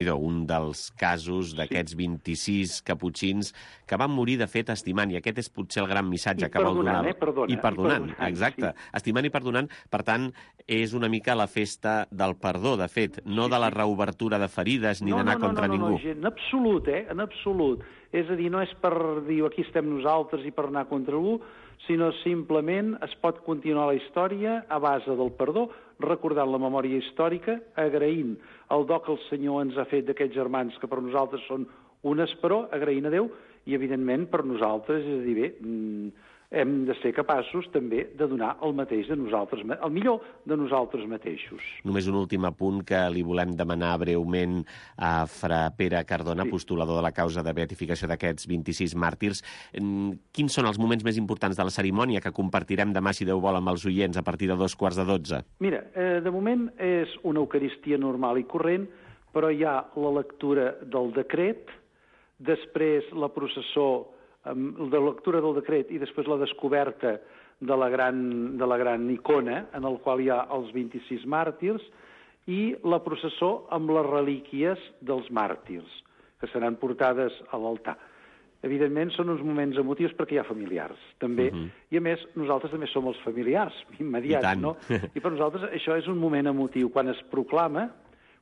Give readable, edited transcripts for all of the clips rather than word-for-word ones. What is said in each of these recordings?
un dels casos d'aquests 26 caputxins que van morir, de fet, estimant, i aquest és potser el gran missatge que vol donar. I perdonant, exacte. Sí. Estimant i perdonant, per tant, és una mica la festa del perdó, de fet, no de la reobertura de ferides ni d'anar contra ningú. No, en absolut, en absolut. És a dir, no és per dir aquí estem nosaltres i per anar contra algú, sinó simplement es pot continuar la història a base del perdó, recordant la memòria històrica, agraint el do que el Senyor ens ha fet d'aquests germans que per nosaltres són un esperó, agraint a Déu, i evidentment per nosaltres, és a dir, bé, hem de ser capaços també de donar el mateix de nosaltres, el millor de nosaltres mateixos. Només un últim apunt que li volem demanar breument a fra Pere Cardona, postulador de la causa de beatificació d'aquests 26 màrtirs. Quins són els moments més importants de la cerimònia que compartirem demà, si Déu vol, amb els oients a partir de 2:45? Mira, de moment és una eucaristia normal i corrent, però hi ha la lectura del decret, després la processó de lectura del decret i després la descoberta de la gran icona en el qual hi ha els 26 màrtirs i la processó amb les relíquies dels màrtirs, que seran portades a l'altar. Evidentment són uns moments emotius perquè hi ha familiars, també. I a més, nosaltres també som els familiars immediats, no? I per nosaltres això és un moment emotiu. Quan es proclama,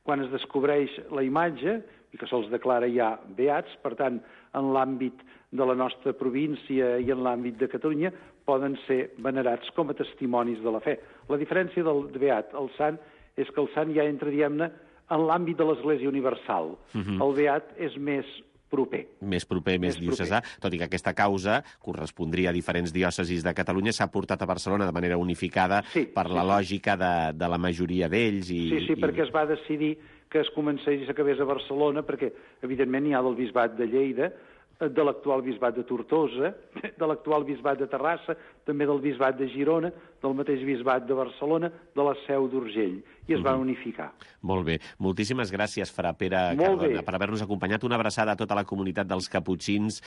quan es descobreix la imatge, i que se'ls declara ja beats, per tant, en l'àmbit de la nostra província i en l'àmbit de Catalunya, poden ser venerats com a testimonis de la fe. La diferència del beat al sant és que el sant ja entra, diguem-ne, en l'àmbit de l'Església Universal. El beat és més proper. Més proper, més diocesà, tot i que aquesta causa correspondria a diferents diòcesis de Catalunya, s'ha portat a Barcelona de manera unificada per la lògica de la majoria d'ells. Sí, perquè es va decidir que es comencés i s'acabés a Barcelona, perquè, evidentment, hi ha del bisbat de Lleida, de l'actual bisbat de Tortosa, de l'actual bisbat de Terrassa, també del bisbat de Girona, del mateix bisbat de Barcelona, de la Seu d'Urgell, i es van unificar. Molt bé. Moltíssimes gràcies, fra Pere Cardona, per haver-nos acompanyat. Una abraçada a tota la comunitat dels caputxins,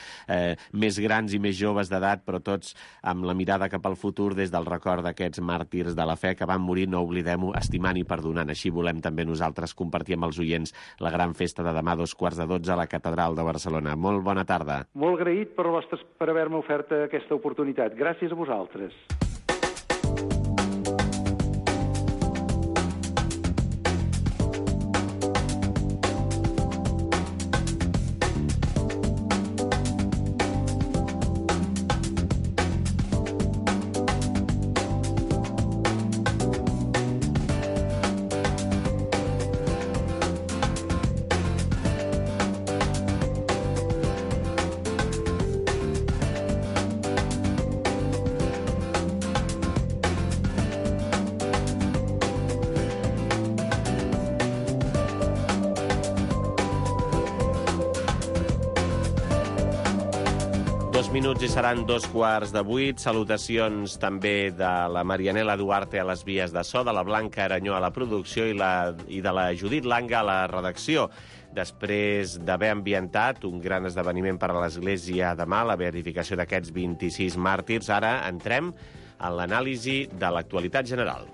més grans i més joves d'edat, però tots amb la mirada cap al futur des del record d'aquests màrtirs de la fe que van morir, no oblidem-ho, estimant i perdonant. Així volem també nosaltres compartir amb els oients la gran festa de demà, 2:45, a la Catedral de Barcelona. Molt bona tarda. Molt agraït per haver-me ofert aquesta oportunitat. Gràcies a vosaltres. Minuts i seran 7:15. Salutacions també de la Marianela Duarte a les vies de so, de la Blanca Aranyó a la producció i de la Judit Langa a la redacció. Després d'haver ambientat un gran esdeveniment per a l'Església demà, la beatificació d'aquests 26 màrtirs, ara entrem en l'anàlisi de l'actualitat general.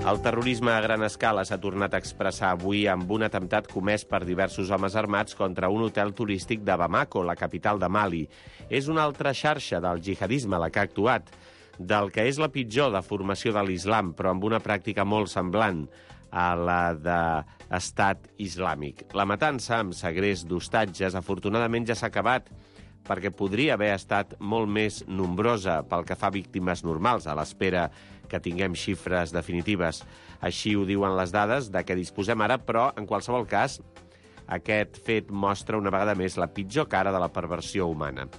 El terrorisme a gran escala s'ha tornat a expressar avui amb un atemptat comès per diversos homes armats contra un hotel turístic de Bamako, la capital de Mali. És una altra xarxa del jihadisme la que ha actuat, del que és la pitjor deformació de l'islam, però amb una pràctica molt semblant a la d'estat islàmic. La matança amb segrest d'hostatges afortunadament ja s'ha acabat, perquè podria haver estat molt més nombrosa pel que fa a víctimes normals, a l'espera que tinguem xifres definitives. Així ho diuen les dades de què disposem ara, però, en qualsevol cas, aquest fet mostra una vegada més la pitjor cara de la perversió humana.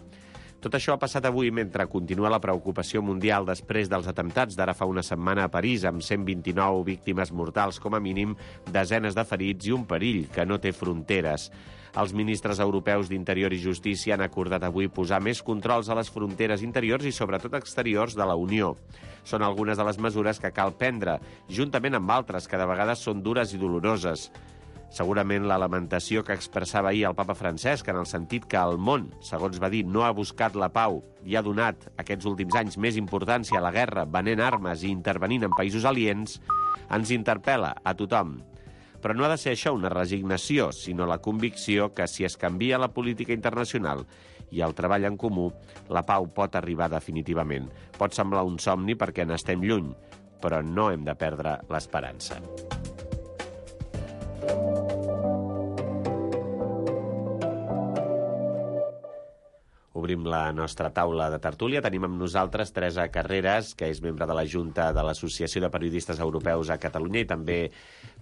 Tot això ha passat avui mentre continua la preocupació mundial després dels atemptats d'ara fa una setmana a París, amb 129 víctimes mortals com a mínim, desenes de ferits i un perill que no té fronteres. Els ministres europeus d'Interior i Justícia han acordat avui posar més controls a les fronteres interiors i sobretot exteriors de la Unió. Són algunes de les mesures que cal prendre, juntament amb altres que de vegades són dures i doloroses. Segurament la lamentació que expressava ahir el papa Francesc, en el sentit que el món, segons va dir, no ha buscat la pau i ha donat aquests últims anys més importància a la guerra, venent armes i intervenint en països aliens, ens interpel·la a tothom. Però no ha de ser això una resignació, sinó la convicció que si es canvia la política internacional i el treball en comú, la pau pot arribar definitivament. Pot semblar un somni perquè n'estem lluny, però no hem de perdre l'esperança. Obrim la nostra taula de tertúlia. Tenim amb nosaltres Teresa Carreras, que és membre de la Junta de l'Associació de Periodistes Europeus a Catalunya i també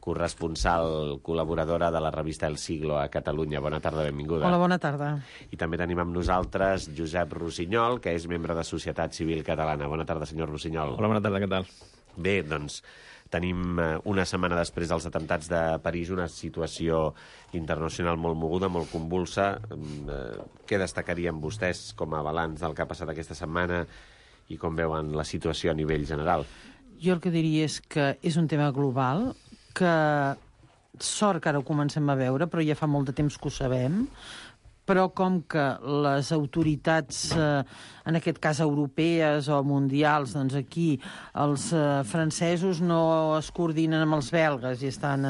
corresponsal col·laboradora de la revista El Siglo a Catalunya. Bona tarda, benvinguda. Hola, bona tarda. I també tenim amb nosaltres Josep Rossinyol, que és membre de Societat Civil Catalana. Bona tarda, senyor Rossinyol. Hola, bona tarda, què tal? Bé, doncs tenim una setmana després dels atemptats de París una situació internacional molt moguda, molt convulsa. Què destacarien vostès com a balanç del que ha passat aquesta setmana i com veuen la situació a nivell general? Jo el que diria és que és un tema global, que sort que ara ho comencem a veure, però ja fa molt de temps que ho sabem, però com que les autoritats, en aquest cas europees o mundials, doncs aquí els francesos no es coordinen amb els belgues i estan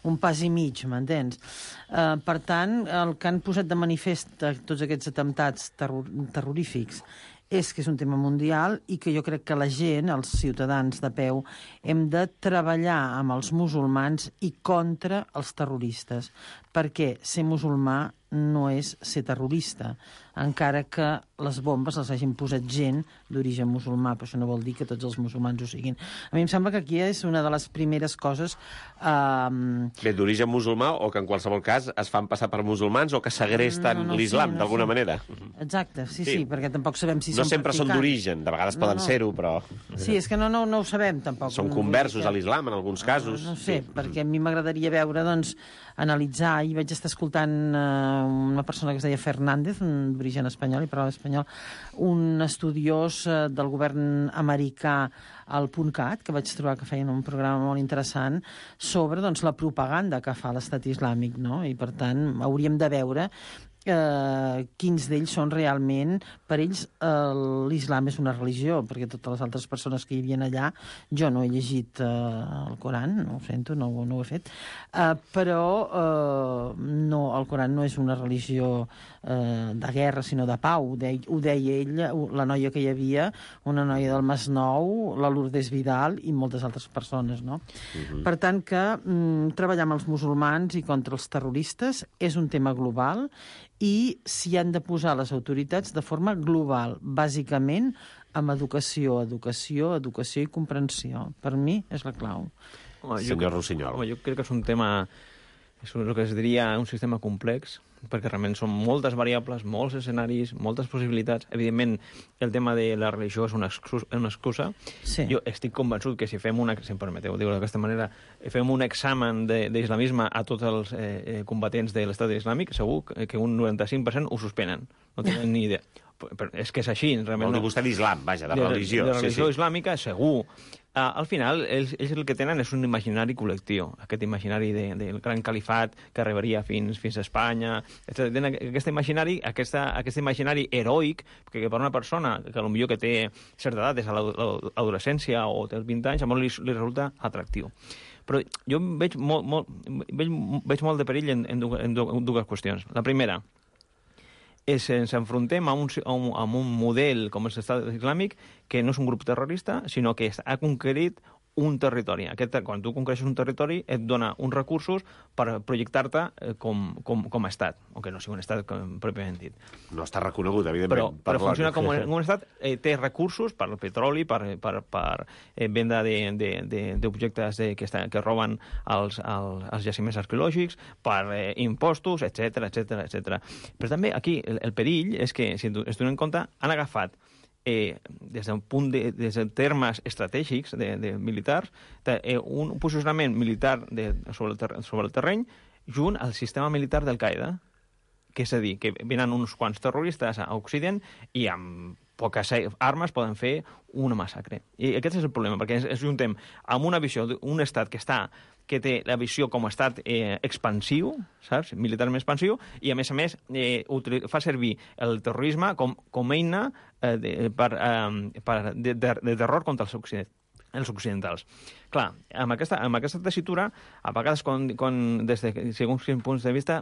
un pas i mig, m'entens? Per tant, el que han posat de manifest tots aquests atemptats terrorífics és que és un tema mundial i que jo crec que la gent, els ciutadans de peu, hem de treballar amb els musulmans i contra els terroristes, perquè ser musulmà no és ser terrorista, encara que les bombes les hagin posat gent d'origen musulmà, però això no vol dir que tots els musulmans ho siguin. A mi em sembla que aquí és una de les primeres coses... Bé, d'origen musulmà o que en qualsevol cas es fan passar per musulmans o que segresten l'islam, d'alguna manera. Exacte, sí, perquè tampoc sabem si no són sempre practicants. Són d'origen, de vegades poden ser-ho, però... Sí, és que no ho sabem, tampoc. Són conversos a l'islam, en alguns casos. No sé, perquè a mi m'agradaria veure, doncs, analitzar, i vaig estar escoltant una persona que es deia Fernández, d'origen espanyol, i parlava espanyol, un estudiós del govern americà al .cat, que vaig trobar que feien un programa molt interessant sobre doncs, la propaganda que fa l'Estat Islàmic, no? I per tant hauríem de veure quins d'ells són realment, per ells l'islam és una religió, perquè totes les altres persones que hi havia allà, jo no he llegit el Coran, no ho sento, no ho he fet, però no, el Coran no és una religió de guerra, sinó de pau. Ho deia ell, la noia que hi havia, una noia del Masnou, la Lourdes Vidal i moltes altres persones, no? Per tant que treballar amb els musulmans i contra els terroristes és un tema global i s'hi han de posar les autoritats de forma global, bàsicament amb educació i comprensió. Per mi és la clau. Senyor Rossinyol. Jo crec que és un tema, és el que es diria un sistema complex, perquè realment són moltes variables, molts escenaris, moltes possibilitats. Evidentment, el tema de la religió és una excusa. Sí. Jo estic convençut que si fem si em permeteu dir-ho d'aquesta manera, fem un examen d'islamisme a tots els combatents de l'Estat Islàmic, segur que un 95% ho suspenen. No tenen ni idea. Però és que és així, realment. Vol dir vostè d'islam, vaja, de religió. De religió islàmica, segur. Al final, ells el que tenen és un imaginari col·lectiu, aquest imaginari del gran califat que arribaria fins a Espanya. Tenen aquest imaginari heroic, que per una persona que potser que té certa edat, és a l'adolescència o té els 20 anys, a molt li resulta atractiu. Però jo veig molt de perill en dues qüestions. La primera, ens enfrontem a un model com és l'Estat Islàmic que no és un grup terrorista, sinó que ha conquerit un territori. Quan tu conquereixes un territori et dona uns recursos per projectar-te com a estat, o que no sigui un estat pròpiament dit. No està reconegut, evidentment. Però funciona com un estat, té recursos per petroli, per venda d'objectes que roben els jaciments arqueològics, per impostos, etc. Però també aquí el perill és que, si ens donem compte, han agafat des de termes estratègics de militars, un posicionament militar sobre el terreny junt al sistema militar d'Al-Qaeda, que és a dir, que venen uns quants terroristes a Occident i amb poques armes poden fer una massacre. I aquest és el problema, perquè ens juntem amb una visió d'un estat que té la visió com a estat expansiu, saps? Militarment expansiu, i a més fa servir el terrorisme com eina de terror contra els occidentals. Clar, amb aquesta tessitura, a vegades, des de segons quins punts de vista,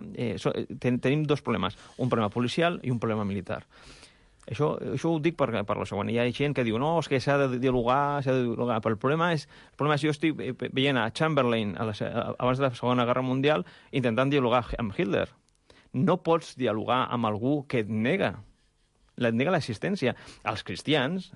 tenim dos problemes, un problema policial i un problema militar. Això ho dic per la següent. Hi ha gent que diu, no, és que s'ha de dialogar, però el problema és jo estic veient a Chamberlain abans de la Segona Guerra Mundial intentant dialogar amb Hitler. No pots dialogar amb algú que et nega l'existència. Els cristians,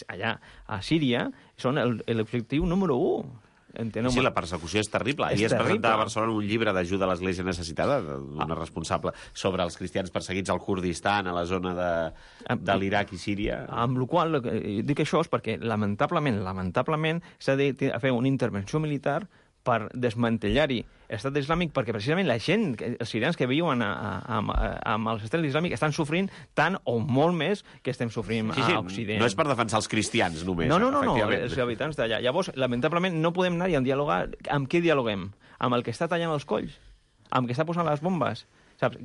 allà a Síria, són l'objectiu número 1. Enteneu? Sí, la persecució és terrible. Ahir es presentava a Barcelona un llibre d'ajuda a l'Església necessitada, d'una responsable, sobre els cristians perseguits al Kurdistan, a la zona de l'Iraq i Síria. Amb la qual cosa dic això és perquè, lamentablement, s'ha de fer una intervenció militar per desmantellar-hi l'estat islàmic, perquè precisament la gent, els sirians que viuen amb l'estat islàmic estan sofrint tant o molt més que estem sofrint a Occident. No és per defensar els cristians només. No, els habitants d'allà. Llavors, lamentablement, no podem anar a dialogar. Amb qui dialoguem? Amb el que està tallant els colls? Amb el que està posant les bombes? Saps?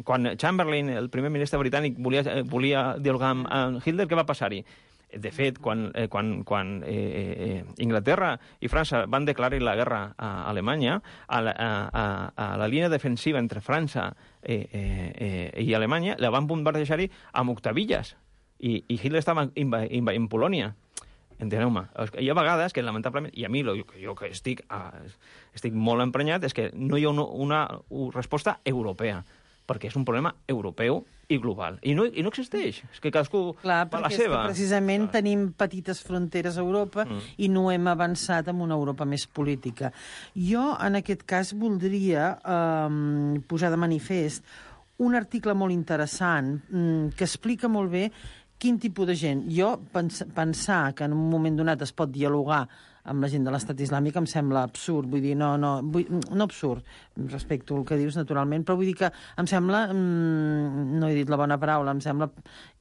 Quan Chamberlain, el primer ministre britànic, volia dialogar amb Hitler, què va passar-hi? De fet, quan Inglaterra i França van declarar la guerra a Alemanya, a la línia defensiva entre França i Alemanya la van bombardejar-hi amb octavilles. I Hitler estava en Polònia. Enteneu-me. Hi ha vegades que, lamentablement, i a mi jo que estic molt emprenyat, és que no hi ha una resposta europea, perquè és un problema europeu i global. I no existeix. És que cadascú fa la seva. Clar, perquè és que precisament tenim petites fronteres a Europa i no hem avançat en una Europa més política. Jo, en aquest cas, voldria posar de manifest un article molt interessant que explica molt bé quin tipus de gent. Jo, pensar que en un moment donat es pot dialogar amb la gent de l'estat islàmic em sembla absurd. Vull dir, no absurd, respecto al que dius, naturalment, però vull dir que em sembla, no he dit la bona paraula, em sembla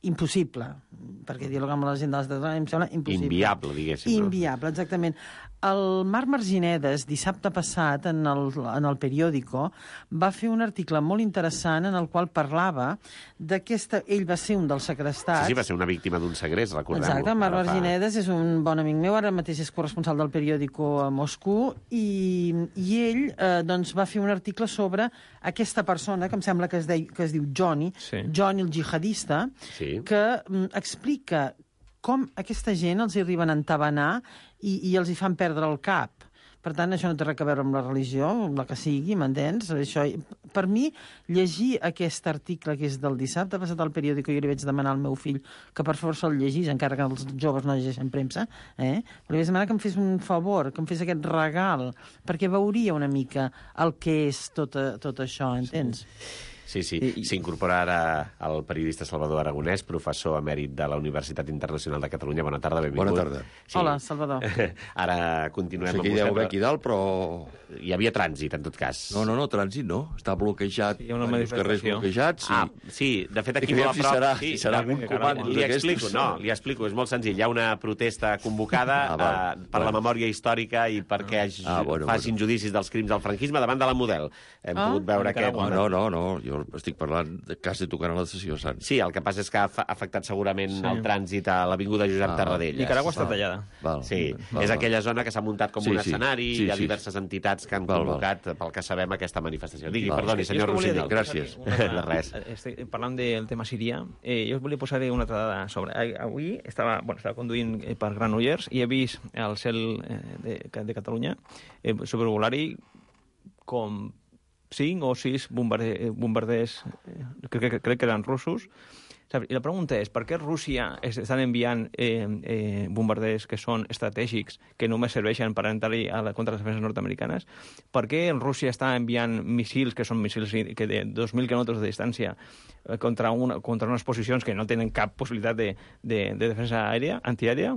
impossible, perquè dialogar amb la gent de l'estat islàmic em sembla impossible. Inviable, diguéssim. Inviable, exactament. El Marc Marginedes, dissabte passat, en el periòdico, va fer un article molt interessant en el qual parlava d'aquesta... Ell va ser un dels segrestats. Sí, va ser una víctima d'un segrest, recordem-ho. Exacte, Marc Marginedes és un bon amic meu, ara mateix és corresponsal del periòdico a Moscou, i ell doncs, va fer un article sobre aquesta persona, que em sembla que es diu Johnny, Johnny el jihadista, que explica com aquesta gent els arriben a entabanar i els hi fan perdre el cap. Per tant, això no té res a veure amb la religió, la que sigui, m'entens? Per mi, llegir aquest article que és del dissabte passat al periòdico, jo li vaig demanar al meu fill que per favor se'l llegís, encara que els joves no llegeixen premsa, però li vaig demanar que em fes un favor, que em fes aquest regal, perquè veuria una mica el que és tot això, entens? Sí, s'incorpora ara el periodista Salvador Aragonès, professor emèrit de la Universitat Internacional de Catalunya. Bona tarda, benvingut. Bona tarda. Sí. Hola, Salvador. Ara continuem amb vostè. Sé que hi deu haver aquí dalt, però... Hi havia trànsit, en tot cas. No, trànsit no. Està bloquejat, els carrers bloquejats. Sí, de fet, aquí molt a prop... Si serà algun comando d'aquestos. Li explico, és molt senzill. Hi ha una protesta convocada per la memòria històrica i perquè facin judicis dels crims del franquisme davant de la Model. Hem pogut veure que... No, jo estic parlant de quasi tocant a la sessió Sant. Sí, el que passa és que ha afectat segurament el trànsit a l'Avinguda Josep Tarradellas. Nicaragua està tallada. Sí, és aquella zona que s'ha muntat com un escenari, hi ha diverses entitats que han convocat, pel que sabem, aquesta manifestació. Perdoni, senyor Rossinyol. Gràcies. De res. Parlant del tema sirià, jo us volia posar una altra dada sobre. Avui estava conduint per Granollers i he vist al cel de Catalunya sobrevolar-hi com 5 o 6 bombarders, crec que eren russos. I la pregunta és, per què Rússia estan enviant bombarders que són estratègics, que només serveixen per entrar-hi contra les defenses nord-americanes? Per què Rússia està enviant missils, que són missils de 2.000 quilòmetres de distància, contra unes posicions que no tenen cap possibilitat de defensa antiaèria?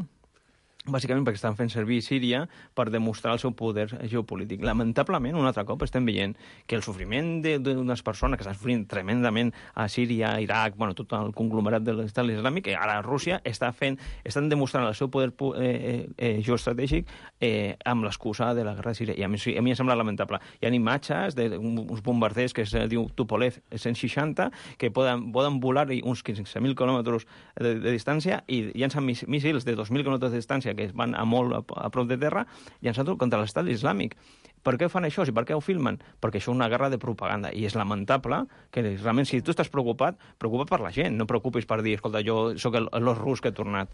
bàsicament perquè estan fent servir Síria per demostrar el seu poder geopolític. Lamentablement, un altre cop estem veient que el sofriment d'unes persones que estan sofrint tremendament a Síria, a Iraq, bueno, tot el conglomerat de l'Estat islàmic, ara Rússia estan demostrant el seu poder geoestratègic amb l'excusa de la guerra de Síria. I a mi em sembla lamentable. Hi ha imatges d'uns bombarders que es diu Tupolev 160, que poden volar uns 15.000 quilòmetres de distància i llancen míssils de 2.000 quilòmetres de distància que van a molt a prop de terra, llançant-ho contra l'Estat islàmic. Per què fan això? I per què ho filmen? Perquè això és una guerra de propaganda. I és lamentable que realment, si tu estàs preocupat per la gent. No preocupis per dir, escolta, jo sóc l'os rus que he tornat.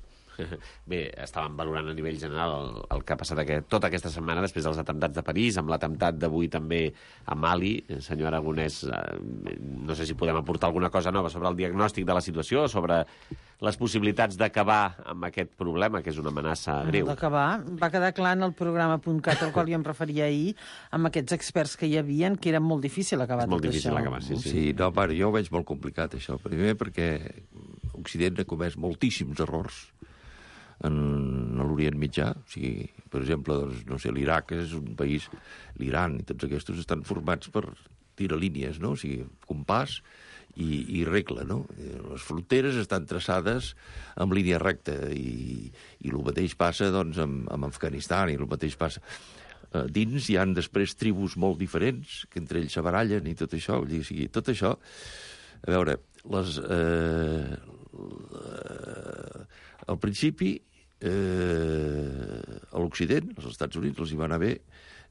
Bé, estàvem valorant a nivell general el que ha passat tota aquesta setmana després dels atemptats de París, amb l'atemptat d'avui també a Mali. Senyor Aragonès, no sé si podem aportar alguna cosa nova sobre el diagnòstic de la situació, sobre les possibilitats d'acabar amb aquest problema, que és una amenaça greu. D'acabar. Va quedar clar en el programa.cat, al qual jo em referia ahir, amb aquests experts que hi havien, que era molt difícil acabar tot això. És molt difícil acabar, sí. Sí, no, pare, jo ho veig molt complicat, això. Primer perquè Occident ha comès moltíssims errors en l'Orient Mitjà. O sigui, per exemple, doncs, no sé, l'Iraq és un país, l'Iran i tots aquests estan formats per tiralínies, no? O sigui, compàs i regla, no? Les fronteres estan traçades amb línia recta i el mateix passa, doncs, amb Afganistan i el mateix passa. Dins hi han després tribus molt diferents, que entre ells se barallen i tot això. O sigui, tot això, a veure, al principi, a l'Occident, als Estats Units, els hi va anar bé,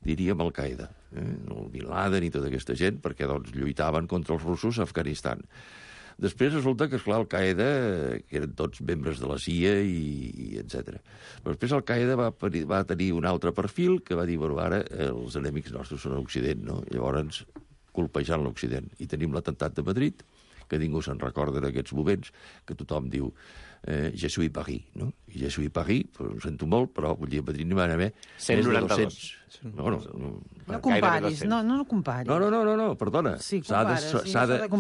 diríem Al-Qaeda, el Bin Laden i tota aquesta gent, perquè doncs, lluitaven contra els russos a Afganistan. Després resulta que, esclar, Al-Qaeda, que eren tots membres de la CIA i etc. Però després Al-Qaeda va tenir un altre perfil que va dir, bueno, ara els enemics nostres són a l'Occident, no? Llavors, colpejant l'Occident. I tenim l'atemptat de Madrid, que ningú se'n recorda d'aquests moments, que tothom diu je suis Paris, no? I je suis Paris, però ho sento molt, però vull dir, a Madrid n'hi van haver 192. No comparis, no comparis. No, perdona. Sí, s'ha de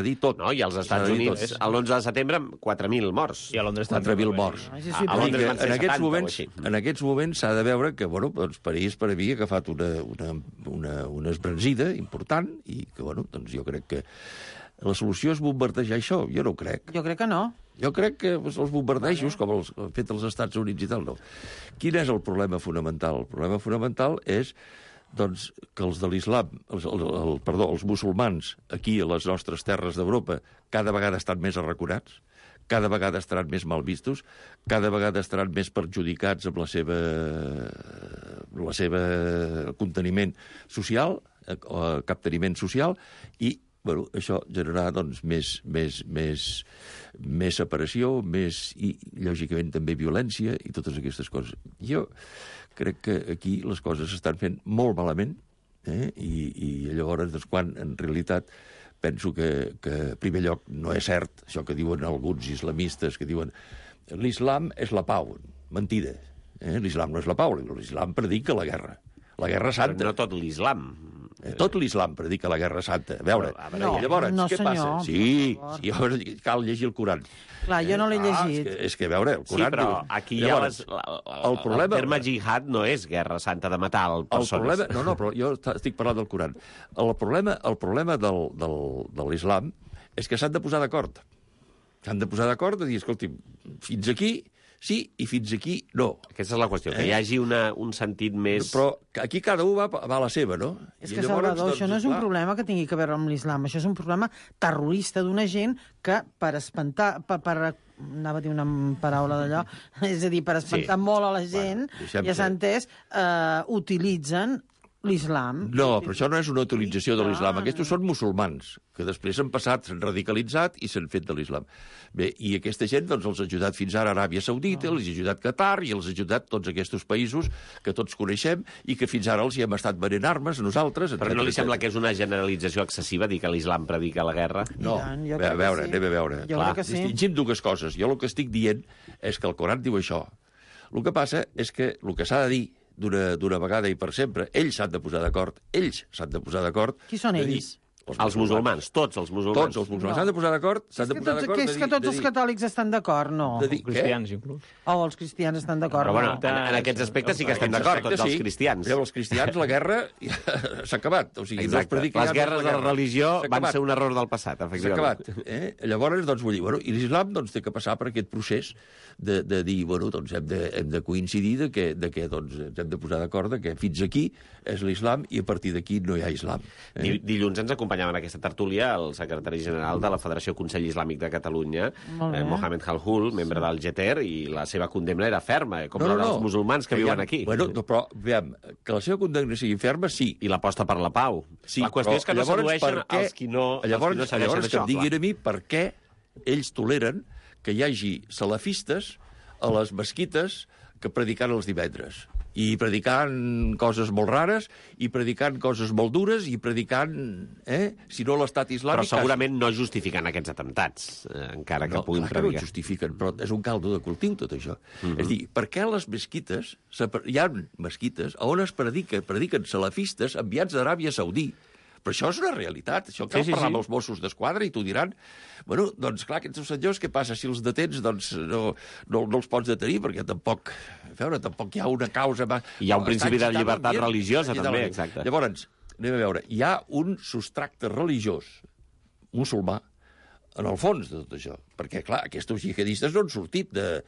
dir tot. No, i als Estats Units, l'11 de setembre, 4.000 morts. I a Londres 4.000 morts. A Londres van ser 70 o així. En aquests moments s'ha de veure que, bueno, doncs París per a mi ha agafat una esbranzida important i que, bueno, doncs jo crec que la solució és bombardejar això. Jo no ho crec. Jo crec que no. Jo crec que els bombardejos, com els han fet els Estats Units i tal, no. Quin és el problema fonamental? El problema fonamental és doncs, que els de l'islam, els musulmans, aquí a les nostres terres d'Europa, cada vegada estan més arraconats, cada vegada estaran més mal vistos, cada vegada estaran més perjudicats amb la seva conteniment social, capteniment social, i bueno, això generarà doncs, més separació, i lògicament també violència i totes aquestes coses. Jo crec que aquí les coses s'estan fent molt malament, i llavors doncs, quan en realitat penso que en primer lloc no és cert això que diuen alguns islamistes, que diuen l'islam és la pau. Mentida. L'islam no és la pau, l'islam predica la guerra santa. Però no tot l'islam. Tot l'islam predica la guerra santa. A veure, llavors, què passa? Sí, cal llegir el Coran. Clar, jo no l'he llegit. És que, a veure, el Coran... Sí, però aquí hi ha el terme jihad no és guerra santa de matar persones. No, però jo estic parlant del Coran. El problema de l'islam és que s'han de posar d'acord. S'han de posar d'acord i dir, escolti, fins aquí sí i fins aquí no. Aquesta és la qüestió, que hi hagi un sentit més... Però aquí cada un va a la seva, no? És que, Salvador, això no és un problema que tingui que veure amb l'islam, això és un problema terrorista d'una gent que per espantar... anava a dir una paraula d'allò, és a dir, per espantar molt a la gent, ja s'ha entès, utilitzen l'islam. No, però això no és una utilització de l'islam. Aquests són musulmans, que després han passat, s'han radicalitzat i s'han fet de l'islam. Bé, i aquesta gent doncs, els ha ajudat fins ara a Aràbia Saudita, els ha ajudat Qatar i els ha ajudat tots aquests països que tots coneixem i que fins ara els hi hem estat venent armes a nosaltres. Però no li sembla que és una generalització excessiva dir que l'islam predica la guerra? No, anem a veure. Distingim dues coses. Jo el que estic dient és que el Coran diu això. El que passa és que el que s'ha de dir d'una vegada i per sempre, ells s'han de posar d'acord. Qui són ells? Els musulmans, tots els musulmans. Tots els musulmans s'han de posar d'acord. És que tots els catòlics estan d'acord, no? Cristians, inclús. O els cristians estan d'acord, Però bueno, no? en aquests aspectes sí que estem d'acord, tots els cristians. Els cristians, la guerra s'ha acabat. O sigui, exacte. Les guerres de la religió van ser un error del passat, efectivament. S'ha acabat. Llavors, doncs, vull dir, bueno, i l'islam doncs, té que passar per aquest procés de dir, bueno, doncs hem de coincidir que doncs, ens hem de posar d'acord que fins aquí és l'islam i a partir d'aquí no hi ha islam. Dilluns ens acompanyava en aquesta tertúlia el secretari general de la Federació Consell Islàmic de Catalunya, Mohamed Halhul, membre del GETER, i la seva condemna era ferma, com els musulmans que viuen aquí. Bueno, però, veiem, que la seva condemna sigui ferma, sí. I l'aposta per la pau. Sí, la qüestió és que no sedueixen els qui no segueixen això. Llavors que em diguin a mi per què ells toleren que hi hagi salafistes a les mesquites que predican els divendres. I predicant coses molt rares, i predicant coses molt dures, i predicant, si no l'estat islàmic... Però segurament no justifiquen aquests atemptats, encara que puguin predicar. No, no ho justifiquen, però és un caldo de cultiu, tot això. És a dir, per què a les mesquites, hi ha mesquites on es prediquen salafistes enviats d'Aràbia Saudí? Però això és una realitat, això cal parlar amb els Mossos d'Esquadra i t'ho diran. Bueno, doncs clar, aquests senyors, què passa? Si els detens, doncs no els pots detenir, perquè tampoc hi ha una causa... Hi ha un principi de llibertat religiosa, també, exacte. Llavors, anem a veure, hi ha un substracte religiós musulmà en el fons de tot això, perquè, clar, aquests jihadistes no han sortit de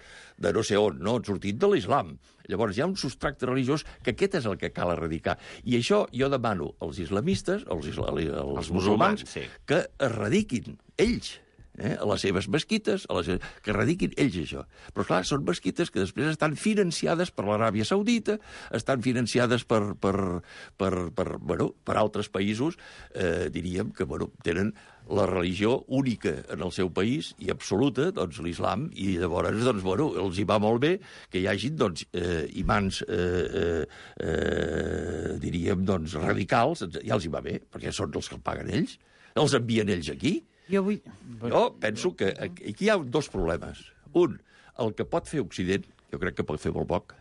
no sé on, no han sortit de l'islam. Llavors, hi ha un substracte religiós que aquest és el que cal erradicar. I això jo demano als islamistes, als musulmans, que erradiquin ells a les seves mesquites, que erradiquin ells això. Però, clar, són mesquites que després estan financiades per l'Aràbia Saudita, estan financiades per altres països, diríem que tenen la religió única en el seu país i absoluta, doncs l'islam, i llavors, doncs, els hi va molt bé que hi hagin, doncs, imants, diríem, doncs, radicals, ja els hi va bé, perquè són els que el paguen ells, els envien ells aquí. Jo penso que aquí hi ha dos problemes. Un, el que pot fer Occident, jo crec que pot fer molt poc,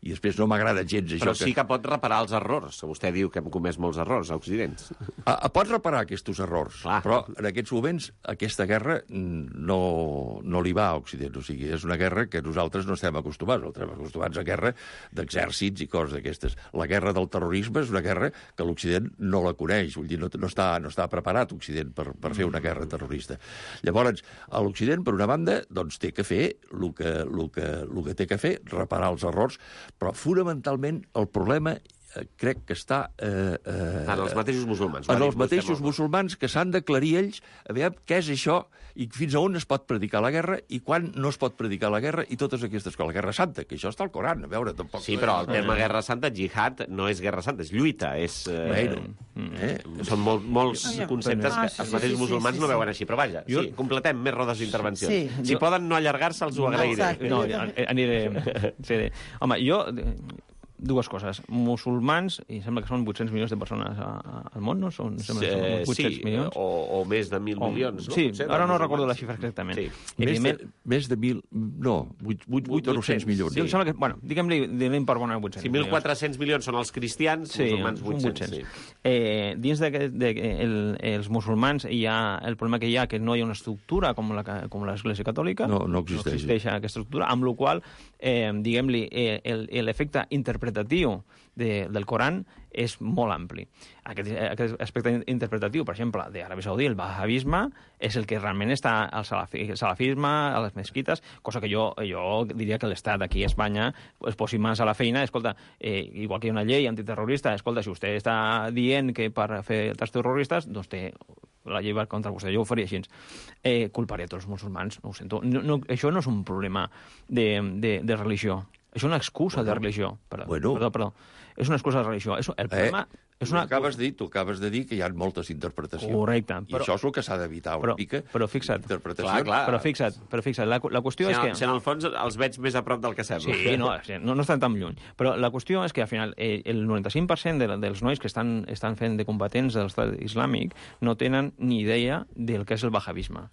i després no m'agrada gens això. Però sí que pot reparar els errors. Vostè diu que hem comès molts errors a Occident. Pot reparar aquests errors, però en aquests moments aquesta guerra no li va a Occident. O sigui, és una guerra que nosaltres no estem acostumats. Estem acostumats a guerra d'exèrcits i coses d'aquestes. La guerra del terrorisme és una guerra que l'Occident no la coneix. Vull dir, no està preparat Occident per fer una guerra terrorista. Llavors, a l'Occident, per una banda, doncs té que fer el que té que fer, reparar els errors, però fonamentalment el problema crec que està... en els mateixos musulmans. En els mateixos musulmans que s'han d'aclarir ells a veure què és això i fins a on es pot predicar la guerra i quan no es pot predicar la guerra i totes aquestes coses. La guerra santa, que això està al Coran, a veure, tampoc... Sí, però el terme guerra santa, jihad, no és guerra santa, és lluita, és... Són molts conceptes que els mateixos musulmans no veuen així, però vaja, sí, completem més rodes d'intervenció. Si poden no allargar-se, els ho agrairé. No, aniré... Home, jo... Dues coses. Musulmans, i sembla que són 800 milions de persones al món, no? Són 800 milions? O més de 1.000 milions, no? Sí, ara no recordo la xifra exactament. Més de 1.000... No, 8 o 900 milions. Em sembla que, bueno, diguem-li per bona 800 milions. Si 1.400 milions són els cristians, musulmans 800. Dins dels musulmans hi ha el problema que hi ha, que no hi ha una estructura com l'Església Catòlica. No existeix. No existeix aquesta estructura, amb la qual, diguem-li, l'efecte interpretatiu del Coran és molt ampli. Aquest aspecte interpretatiu, per exemple, d'Aràbia Saudí, el wahhabisme, és el que realment està al salafisme, a les mesquites, cosa que jo diria que l'Estat aquí a Espanya es posi mans a la feina. Escolta, igual que hi ha una llei antiterrorista, escolta, si vostè està dient que per fer actes terroristes, doncs té la llei va contra vostè, jo ho faria així. Culparé a tots els musulmans, no ho sento. Això no és un problema de religió. És una excusa de religió. Perdó. És una excusa de religió. El problema és una... Tu acabes de dir que hi ha moltes interpretacions. Correcte. I això és el que s'ha d'evitar una mica. Però fixa't. Clar. Però fixa't. La qüestió és que... Si en el fons els veig més a prop del que sembla. Sí, no estan tan lluny. Però la qüestió és que, al final, el 95% dels nois que estan fent de combatents de l'Estat Islàmic no tenen ni idea del que és el wahhabisme.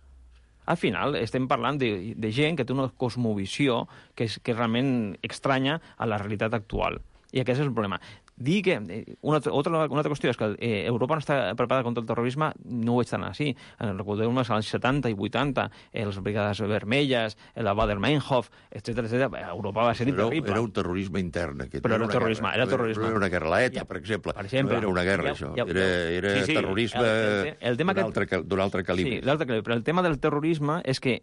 Al final estem parlant de gent que té una cosmovisió que és realment estranya a la realitat actual. I aquest és el problema. dir que una altra qüestió és que Europa no està preparada contra el terrorisme, no ho és tan així. Recordeu-me als anys 70 i 80, les Brigades Vermelles, la Baader-Meinhof, etc. Europa va ser terrible. Era un terrorisme intern, aquest. Però era terrorisme. No era una guerra, l'ETA, per exemple. No era una guerra, això. Era terrorisme d'un altre calibre. Sí, però el tema del terrorisme és que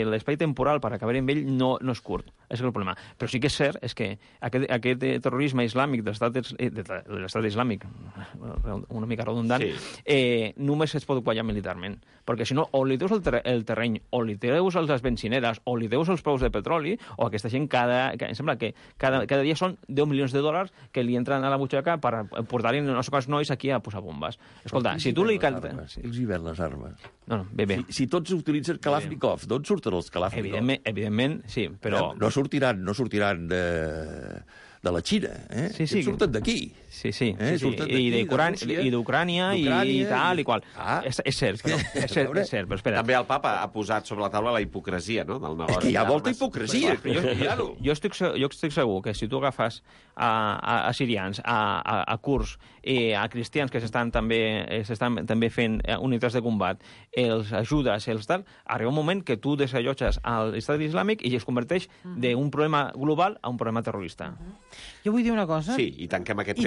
l'espai temporal per acabar amb ell no és curt. És el problema. Però sí que és cert és que aquest terrorisme islàmic de l'estat islàmic, una mica redundant, només es pot guanyar militarment. Perquè si no, o li deus el terreny, o li deus les benzineres, o li deus els preus de petroli, o aquesta gent em sembla que cada dia són 10 milions de dòlars que li entren a la butxaca per portar-hi no sé quants nois aquí a posar bombes. Escolta, si tu li... Ells hi ven les armes. No, bé. Si tots utilitzen Kalashnikov, d'on surten els Kalashnikov? Evidentment, sí, però... No sortiran de la Xina, Sí. Surten d'aquí. Sí. I d'Ucrània i tal i qual. És cert, però espera. També el papa ha posat sobre la taula la hipocresia, no?, del negoci. Que hi ha molta hipocresia. Jo estic segur que si tu agafes a sirians, a kurds i a cristians que s'estan també fent unitats de combat, els ajudes, els tal, arriba un moment que tu desallotges a l'estat islàmic i es converteix d'un problema global a un problema terrorista. Jo vull dir una cosa. Sí, i tanquem aquest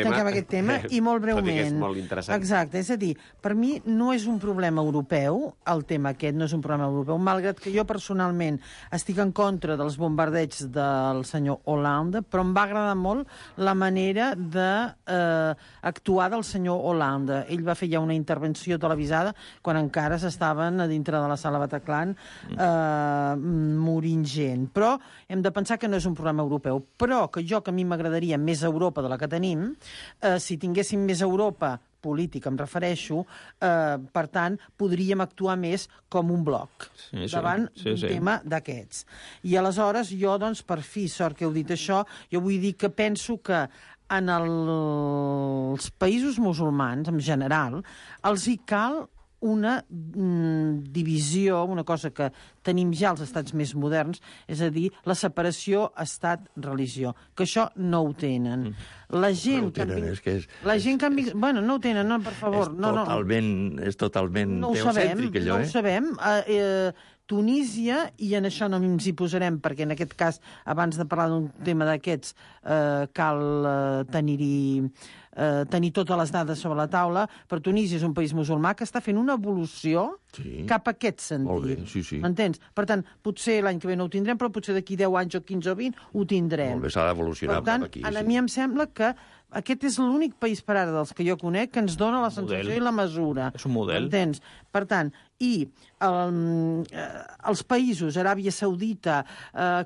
tema. I molt breument. Tot i que és molt interessant. Exacte, és a dir, per mi no és un problema europeu, el tema aquest no és un problema europeu, malgrat que jo personalment estic en contra dels bombardeigs del senyor Hollande, però em va agradar molt la manera d'actuar del senyor Hollande. Ell va fer ja una intervenció televisada quan encara s'estaven a dintre de la sala Bataclan morint gent. Però hem de pensar que no és un problema europeu. Però que a mi m'agradaria més Europa de la que tenim, si tinguéssim més Europa política, em refereixo, per tant, podríem actuar més com un bloc davant un tema d'aquests. I aleshores, jo, doncs, per fi, sort que heu dit això, jo vull dir que penso que en els països musulmans, en general, els hi cal una divisió, una cosa que tenim ja als estats més moderns, és a dir, la separació estat-religió, que això no ho tenen. La gent que bueno, no ho tenen, no, per favor. És totalment teocèntric, allò, No ho sabem. Tunísia, i en això no ens hi posarem, perquè en aquest cas, abans de parlar d'un tema d'aquests, cal tenir totes les dades sobre la taula, però Tunísia és un país musulmà que està fent una evolució cap a aquest sentit. Molt bé, sí. M'entens? Per tant, potser l'any que ve no ho tindrem, però potser d'aquí 10 anys o 15 o 20 ho tindrem. Molt bé, s'ha d'evolucionar cap aquí. Per tant, a mi em sembla que aquest és l'únic país per ara dels que jo conec que ens dona la sensació i la mesura. És un model. Entens? Per tant, i els països, Aràbia Saudita,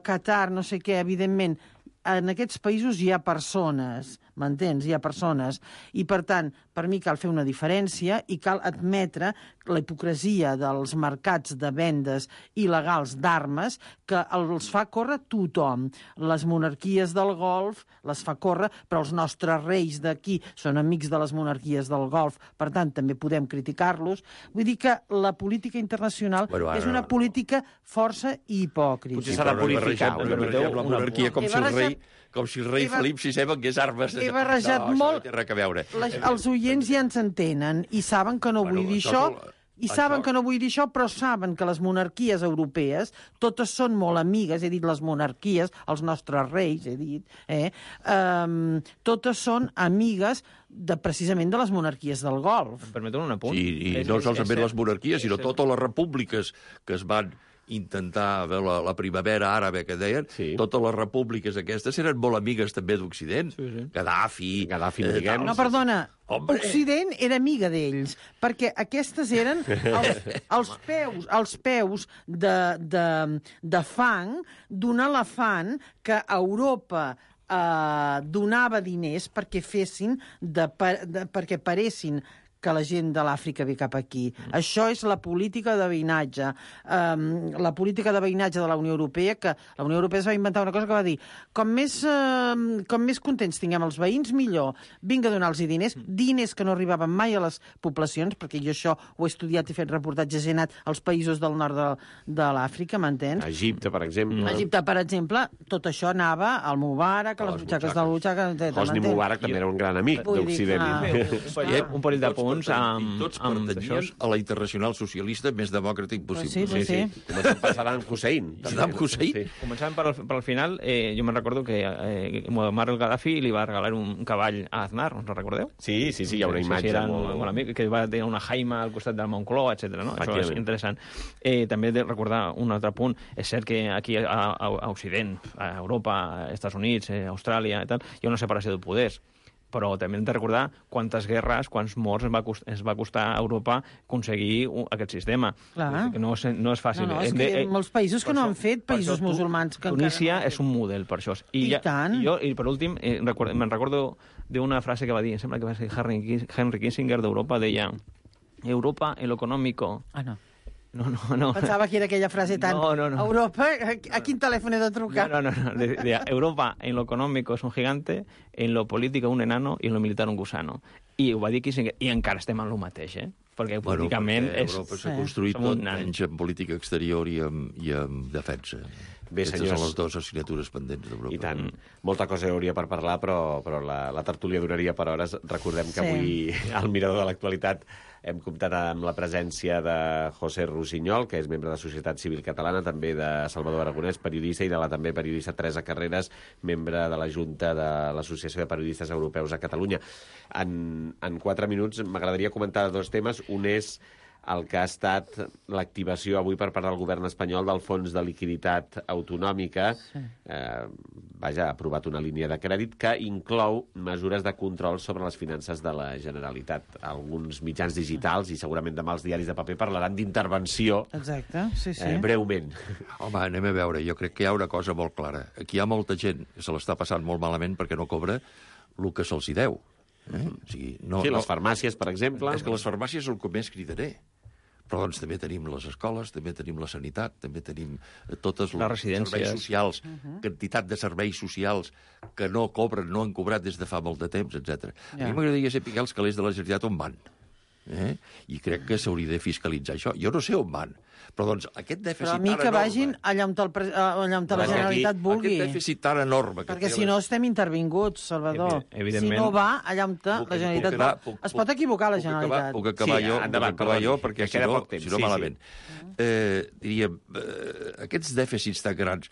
Qatar, no sé què, evidentment, en aquests països hi ha persones, m'entens? Hi ha persones. I, per tant, per mi cal fer una diferència i cal admetre la hipocresia dels mercats de vendes il·legals d'armes que els fa córrer tothom. Les monarquies del Golf les fa córrer, però els nostres reis d'aquí són amics de les monarquies del Golf, per tant, també podem criticar-los. Vull dir que la política internacional és una política força hipòcrita. Potser s'ha de purificar. La monarquia com si el rei Felip VI vengués armes. He barrejat molt. No té res a veure. Els oients ja ens entenen i saben que no vull dir això. I saben que no vull dir això, però saben que les monarquies europees totes són molt amigues, he dit les monarquies, els nostres reis, he dit, totes són amigues precisament de les monarquies del Golf. Em permeteu un apunt? I no solament les monarquies, sinó totes les repúbliques que es van intentar la primavera àrabe, que deien, totes les repúbliques aquestes eren molt amigues també d'Occident. Gaddafi, diguem. No, perdona, Occident era amiga d'ells, perquè aquestes eren els peus de fang d'un elefant que Europa donava diners perquè fessin, perquè paressin que la gent de l'Àfrica ve cap aquí. Això és la política de veïnatge. La política de veïnatge de la Unió Europea, que la Unió Europea es va inventar una cosa que va dir com més contents tinguem els veïns, millor. Vinga a donar-los diners que no arribaven mai a les poblacions, perquè jo això ho he estudiat i fet reportatges, he anat als països del nord de l'Àfrica, m'entens? Egipte, per exemple. Egipte, per exemple, tot això anava al Mubarak, a les butxaques del Butxaca... Hosni Mubarak també era un gran amic d'Occident. Un parell de punts amb... Tots pertanyien a la internacional socialista més democràtic possible. Sí. Començant per Saddam Hussein. Saddam Hussein? Sí. Començant per al final, jo me'n recordo que Muammar el-Gaddafi li va regalar un cavall a Aznar, us ho recordeu? Sí, hi ha una imatge molt amic, que va tenir una jaima al costat del Moncloa, etc. No? Això és interessant. També he de recordar un altre punt. És cert que aquí a Occident, a Europa, a Estats Units, a Austràlia i tal, hi ha una separació de poders. Però també hem de recordar quantes guerres, quants morts ens va costar a Europa aconseguir aquest sistema. Clar. Que no és fàcil. No, és que hi ha molts països que no han fet, països musulmans que Tunísia és un model per això. I tant. I per últim, me'n recordo d'una frase que va dir, em sembla que va ser Henry Kissinger d'Europa, deia Europa en lo económico... Ah, no. No. Pensava que era aquella frase tan... No. Europa, a quin telèfon he de trucar? No. Decía, Europa en lo económico es un gigante, en lo político un enano i en lo militar un gusano. I ho va dir Kissinger, i encara estem en lo mateix, Perquè políticament Europa s'ha construït tot menys en política exterior i en defensa. Bé, aquestes són les dues assignatures pendents d'Europa. I tant. Molta cosa hi hauria per parlar, però la tertúlia duraria per hores. Recordem que avui, al Mirador de l'Actualitat, hem comptat amb la presència de José Rusiñol, que és membre de Societat Civil Catalana, també de Salvador Aragonès, periodista, i de la també periodista Teresa Carreras, membre de la Junta de l'Associació de Periodistes Europeus a Catalunya. En 4 minuts m'agradaria comentar 2 temes. Un és el que ha estat l'activació avui per part del govern espanyol del Fons de Liquiditat Autonòmica. Ha aprovat una línia de crèdit que inclou mesures de control sobre les finances de la Generalitat. Alguns mitjans digitals i segurament demà els diaris de paper parlaran d'intervenció. Exacte, sí. Breument. Home, anem a veure. Jo crec que hi ha una cosa molt clara. Aquí hi ha molta gent que se l'està passant molt malament perquè no cobra el que se'ls hi deu. O sigui, les farmàcies, per exemple. És que les farmàcies és el que més cridaré. Però doncs també tenim les escoles, també tenim la sanitat, també tenim totes les serveis socials, quantitat de serveis socials que no cobren, no han cobrat des de fa molt de temps, etc. A mi m'agradaria saber els calés de la Generalitat on van. I crec que s'hauria de fiscalitzar això. Jo no sé on van, però doncs aquest dèficit tan enorme... Però a mi que vagin allà on la Generalitat vulgui. Aquest dèficit tan enorme... Perquè si no estem intervinguts, Salvador. Si no va allà on la Generalitat va... Es pot equivocar la Generalitat. Puc acabar jo, perquè si no malament. Diríem, aquests dèficits tan grans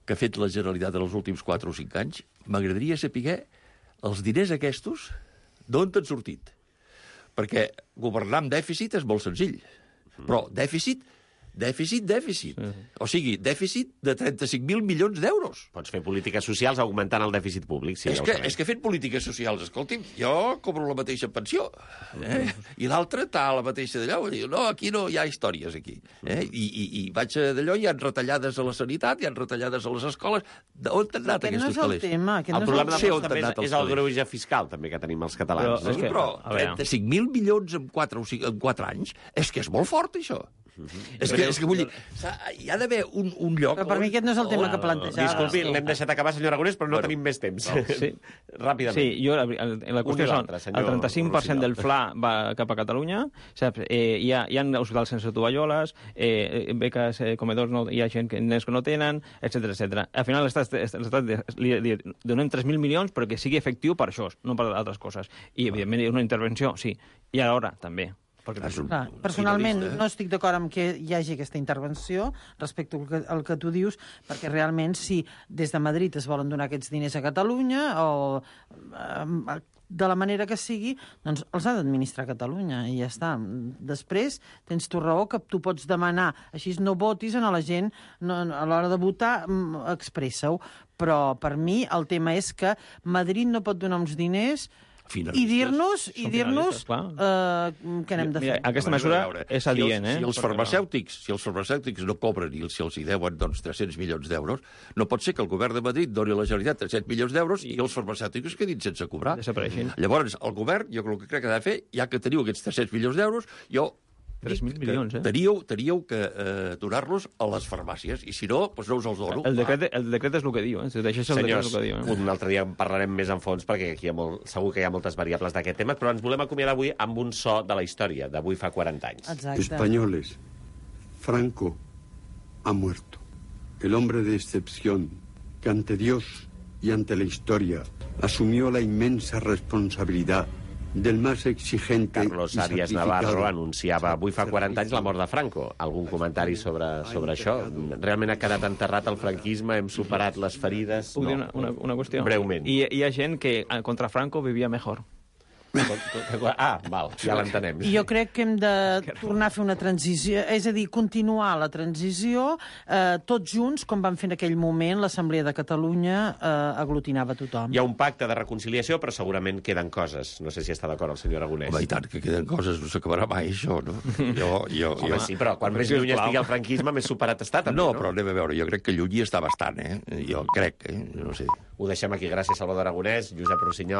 que ha fet la Generalitat en els últims 4 o 5 anys, m'agradaria saber els diners aquests d'on t'han sortit. Perquè governar amb dèficit és molt senzill. Però dèficit. O sigui, dèficit de 35.000 milions d'euros. Pots fer polítiques socials augmentant el dèficit públic. Sí, és que fent polítiques socials, escolti'm, jo cobro la mateixa pensió. I l'altre està a la mateixa d'allò. No, aquí no hi ha històries, aquí. I vaig d'allò, hi ha retallades a la sanitat, hi ha retallades a les escoles. On t'han anat aquests calés? El problema també és el greuge fiscal, també, que tenim els catalans. Però 35.000 milions en 4 anys, és que és molt fort, això. És que vull dir, hi ha d'haver un lloc... Però per mi aquest no és el tema que plantejava. Disculpi, l'hem deixat acabar, senyor Aragonès, però no tenim més temps. Ràpidament. Sí, jo, la qüestió és el 35% del FLA va cap a Catalunya, saps? Hi ha hospitals sense tovalloles, beques, comedors, hi ha gent que no tenen, etc. Al final l'Estat li donem 3.000 milions perquè sigui efectiu per això, no per altres coses. I, evidentment, una intervenció, sí. I alhora, també. Personalment no estic d'acord amb que hi hagi aquesta intervenció respecte al que tu dius, perquè realment si des de Madrid es volen donar aquests diners a Catalunya o de la manera que sigui, doncs els ha d'administrar Catalunya i ja està. Després tens tu raó que tu pots demanar, així no votis a la gent, a l'hora de votar expressa-ho, però per mi el tema és que Madrid no pot donar uns diners I dir-nos què n'hem de fer. Aquesta mesura és adient, Si els farmacèutics no cobren i si els hi deuen 300 milions d'euros, no pot ser que el govern de Madrid doni a la Generalitat 300 milions d'euros i els farmacèutics quedin sense cobrar. Desapareixin. Llavors, el govern, jo el que crec que ha de fer, ja que teniu aquests 300 milions d'euros, 3.000 milions, Teníeu que donar-los a les farmàcies, i si no, doncs no us els dono. El decret és el que diu, Senyors, un altre dia en parlarem més en fons, perquè aquí segur que hi ha moltes variables d'aquest tema, però ens volem acomiadar avui amb un so de la història, d'avui fa 40 anys. Exacte. Españoles, Franco ha muerto. El hombre de excepción que ante Dios y ante la historia asumió la inmensa responsabilidad del más exigente Carlos Arias Navarro anunciava avui fa 40 anys la mort de Franco. Algun comentari sobre això? Realment ha quedat enterrat el franquisme? Hem superat les ferides? Puc dir una qüestió? Breument. Hi ha gent que contra Franco vivia mejor. Val, ja l'entenem. I jo crec que hem de tornar a fer una transició, és a dir, continuar la transició tots junts, com van fer en aquell moment l'Assemblea de Catalunya aglutinava tothom. Hi ha un pacte de reconciliació, però segurament queden coses. No sé si està d'acord el senyor Aragonès. Home, i tant que queden coses, no s'acabarà mai, això, no? Home, sí, però quan més lluny estigui el franquisme, més superat està, també, no? Però anem a veure, jo crec que lluny està bastant, Jo crec, no sé. Ho deixem aquí. Gràcies, Salvador Aragonès, Josep Rossinyol.